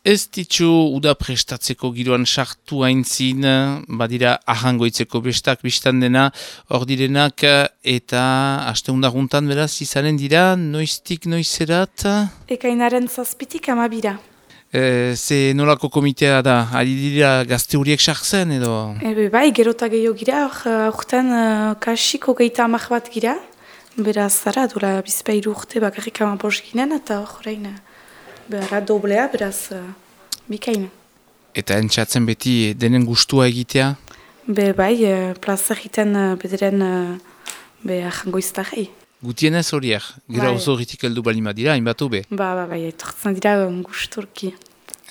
Ez ditxu uda prestatzeko giroan sartu haintzin, badira ahangoitzeko bestak biztan dena, hor direnak eta asteundaguntan beraz izanen dira, noiztik noizerat? Ekainaren 7 amabira. Ze nolako komitea da, ari dira gazte horiek sartzen edo? Bai, gerota gehiago gira, aurten kasiko 30 bat gira, beraz zara, dola bizpairu urte bakarrik amabos ginen, eta horrein behar doblea, beraz bikaina. Eta entxatzen beti denen gustua egitea? Bai, plaza egiten bederen ahangoiztarrei. Gutienez horiek, gira oso horretik heldu balima dira, hainbat hobe? Bai, etortzen dira gusturki.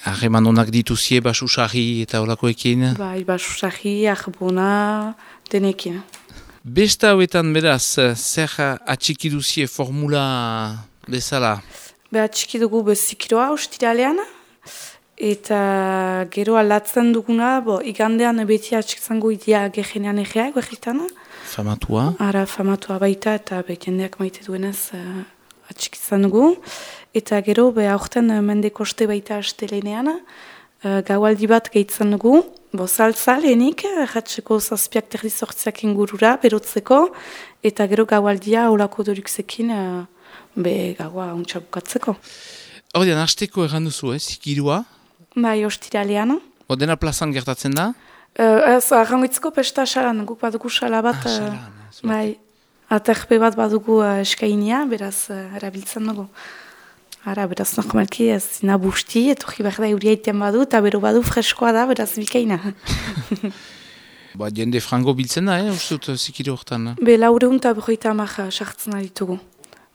Harreman honak dituzie basusarri eta holakoekin? Bai, basusarri, arbona, denekin. Besta hauetan beraz, zer atxiki duzie formula bezala? Atxiki dugu bezikiroa ustiralean, eta gero alatzen duguna, igandean beti atxikzango idia gehenean egeak berritan. Famatua? Ara, famatua baita eta jendeak maite duenez atxikizan dugu. Eta gero, aurten mendekoste baita astelenean, gaualdi bat gehitzen dugu, saltza lehenik, erratzeko 7:30 ingurura, berotzeko, eta gero gaualdia olako dorukzekin, gaua ontsa bukatzeko. Hordian, hasteko erran duzu, zikirua? Bai, ostiralean. Dena plazan gertatzen da? Arrangoitzeko pesta salan, guk badugu sala bat. Bai, aterpe bat badugu eskainia, beraz erabiltzen dugu. Beraz normalki ez zina busti, etorri behar da euria iten badu, eta bero badu freskoa da, beraz bikaina. Jende frango biltzen da, uste dut zikiro hortan? Laureun eta 50 sartzen ditugu.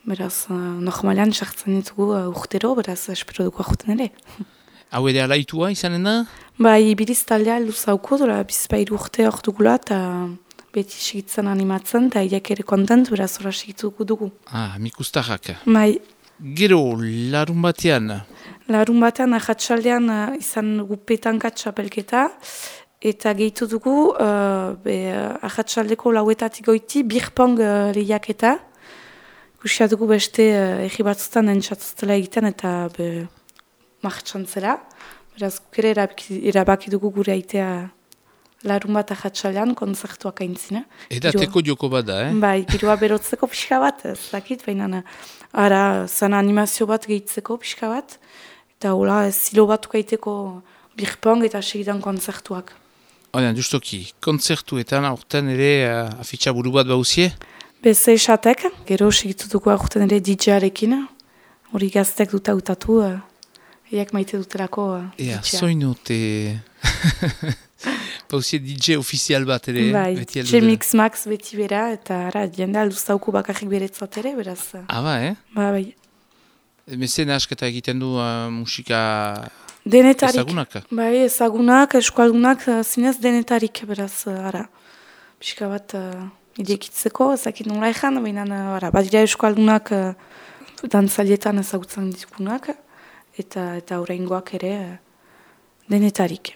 Beraz, normalean sartzen ditugu urtero, beraz espero dugu ahuten ere. Hau ere alaitua izanen da? Bai, biriz taldea luzauko, bizpairu urte hor dugula, eta beti segitzen animatzen, eta iak ere kontent, beraz horra segituko dugu. Mikustarrak. Bai. Gero, larun batean? Larun batean, ahatsaldean izan dugu petanka txapelketa, eta gehitu dugu, ahatsaldeko lauetatik goiti, birpong lehiaketa. Ikusia dugu beste egi batzutan entzatzutela egiten, eta martxantzela. Beraz, gukere erabaki dugu gure aitea larun bat ahatsalean, konzertuak aintzina. Edateko joko bat da, Bai, giroa berotzeko pixka bat, ez dakit, baina zan animazio bat gehitzeko pixka bat, eta hola, zilo bat ukaiteko birpong eta segidan konzertuak. Justoki, konzertuetan aurten ere afitxa buru bat bauzie? Beze esatek, gero segitu dugu aurten ere DJ-arekin, hori gaztek dut hautatu, eiak maite dutelako DJ-a. Soinu, pauzie DJ ofizial bat ere. Bai, J-Mix Max beti bera, eta jende alduztauko bakarrik beretzat ere, beraz. Bai. Mezen asketa egiten du musika denetarik. Ezagunak? Bai, ezagunak, eskualdunak, zinez denetarik, beraz, pixka bat idekitzeko, ezakit nola ezan, baina badira eskualdunak dantzalietan ezagutzen ditugunak, eta oraingoak ere denetarik.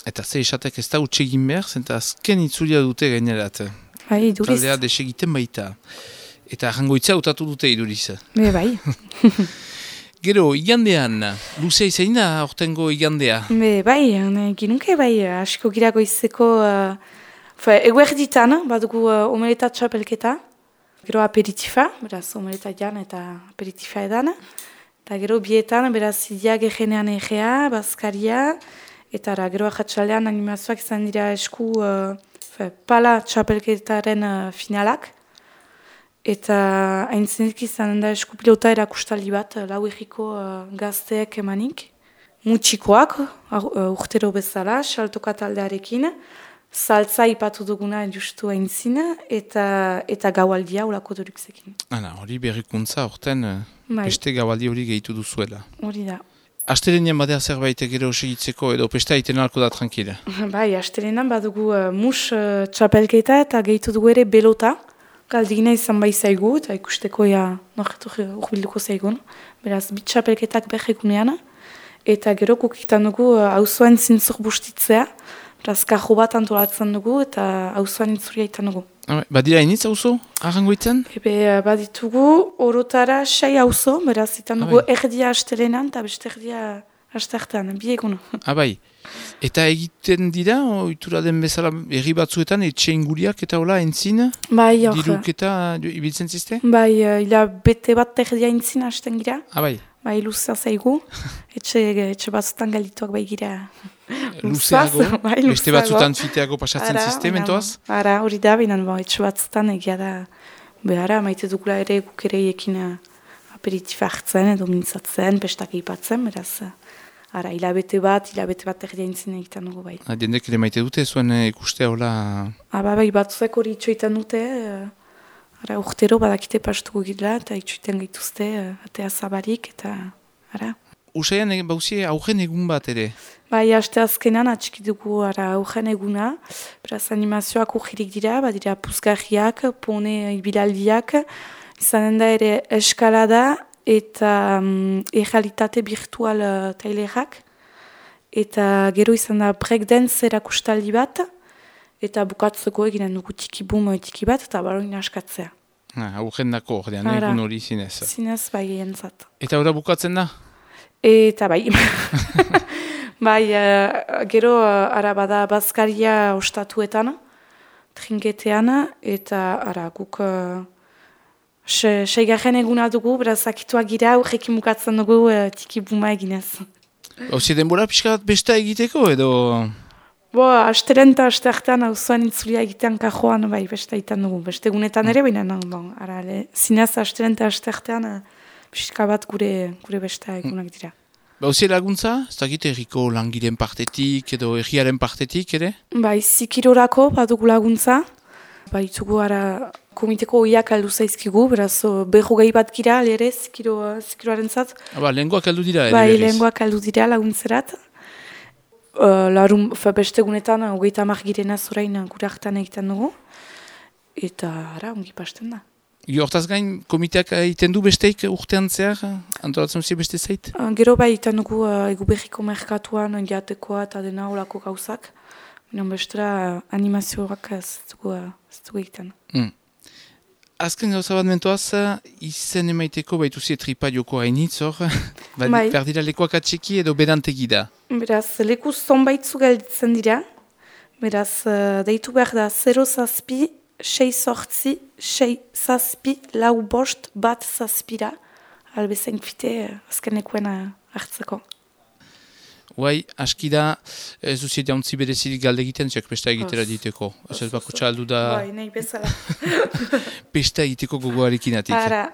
Eta ze esatek ez da utxegin behar, zenta azken itzulia dute gainerat. Bai, iduriz. Taldea desegiten baita. Eta jangoitza utatu dute iduriz. Bai. Gero, igandean, luzea izan da, ortengo igandea? Bai, ginunke, asko girago izeko, eguerditan, badugu omeleta txapelketa, gero aperitifa, beraz omeleta jan eta aperitifa edan, eta gero bietan, beraz idia gehenean egea, bazkaria, eta gero ahatsalean animazioak izan dira esku pala txapelketaren finalak. Eta haintzenetik izan da esku pilota erakustaldi bat, lau egiko gazteek emanik. Mutxikoak, urtero bezala, saltoka taldearekin. Saltza ipatu duguna justu haintzin, eta gaualdia olako dorukzekin. Hori berrikuntza, horten beste gaualdi hori gehitu duzuela. Hori da. Astelenean badea zerbait gero segitzeko edo pesta egiten alko da tranquila? Bai, astelenean badugu mus txapelketa eta gehitu dugu ere belota. Galdegina izan bai zaigu eta ikusteko norretu urbilduko zaigun. Beraz, bit txapelketak berrekunean. Eta gero kukitan dugu auzoan zintzur bustitzea. Beraz, kajo bat antolatzen dugu eta auzoan intzuria itan dugu. Badira initz auzo, arrangoitzen? Baditugu orotara 6 auzo, beraz, itan dugu erdia astelenan eta beste erdia asteartean, bi egun. Bai. Eta egiten dira, ohitura den bezala herri batzuetan, etxe inguriak eta hola entzin? Bai, hor. Diruk eta ibiltzen ziste? Bai, ila bete bat terdia entzin hasten gira. Bai. Bai, luzea zaigu. Etxe batzutan galituak bai gira. Luzeago, bai, beste batzutan fiteago pasatzen ziste, mentoaz? Ara, hori da, binan, etxe batzutan egia da, behara, maite dugula ere guk ere ekin aperitifa hartzen edo mintzatzen, pestak eipatzen, beraz, ara, hilabete bat erdia intzin egiten dugu bai. Diendek ere maite dute, zuen ikustea hola... Bai, batzuk hori itxoitan dute, ara, urtero badakite pastuko gila, eta itxoiten gaituzte, atea zabarik, eta, ara. Usaian bauzie aurren egun bat ere? Bai, aste azkenan atxiki dugu aurren eguna, beraz animazioak urgirik dira, badira puzgarriak, pone ibilaldiak, izanen da ere eskalada eta errealitate virtual tailerak, eta gero izan da breakdance erakustaldi bat, eta bukatzeko eginen dugu tiki bat, eta baroin askatzea. Aurren dako, ordean, egun hori zinez. Zinez, bai, entzat. Eta ora bukatzen da? Eta bai, bai, gero bada bazkaria ostatuetan, trinketean, eta guk seigarren eguna dugu, beraz akituak gira, aurrekin bukatzen dugu tiki buma eginez. Hauzi denbora pixka bat besta egiteko edo? Asteren eta asteartean auzoan intzulia egitean kajoan, bai, besta egiten dugu, beste egunetan ere, baina zinez asteren eta asteartean, pixka bat gure besta egunak dira. Hauzi laguntza? Ez dakit erriko langiren partetik edo erriaren partetik ere? Bai, zikirorako badugu laguntza. Baitugu komiteko oiak aldu zaizkigu, beraz berrogei bat gira, ere zikiroaren zat. Lehengoak aldu dira ere berriz? Bai, lehengoak aldu dira laguntzerat. Beste egunetan, 30 girena zorain gure hartan egiten dugu. Eta, ongi pasten da. Hortaz gain, komiteak egiten du besteik urtean zehar, antolatzen zi beste zait? Gero bai egiten dugu egu berriko merkatuan, jatekoa eta dena olako gauzak. Bestera animazioak ez dugu egiten. Azken gauza bat mentoaz, izen emaiteko baituzi tripa joko hainitz hor, berdira lekuak atxeki edo bedantegi da? Beraz, leku zonbaitzu gelditzen dira, beraz, deitu behar da 0 zazpi, 6 sortzi, 6 zazpi, 4 bost, 1 zazpira, albezain fite azkenekuen hartzeko. Guai, aski da, ez duzi jauntzi berezirik galde egiten, ziak pesta egitera diteko. Ez bako txaldu da... Bai, nahi bezala. Pesta egiteko gogoarekin atik. Ara.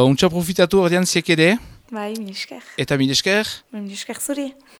Untxa profitatu ordean ziek ere. Bai, mil esker. Eta mil esker? Mil esker zuri.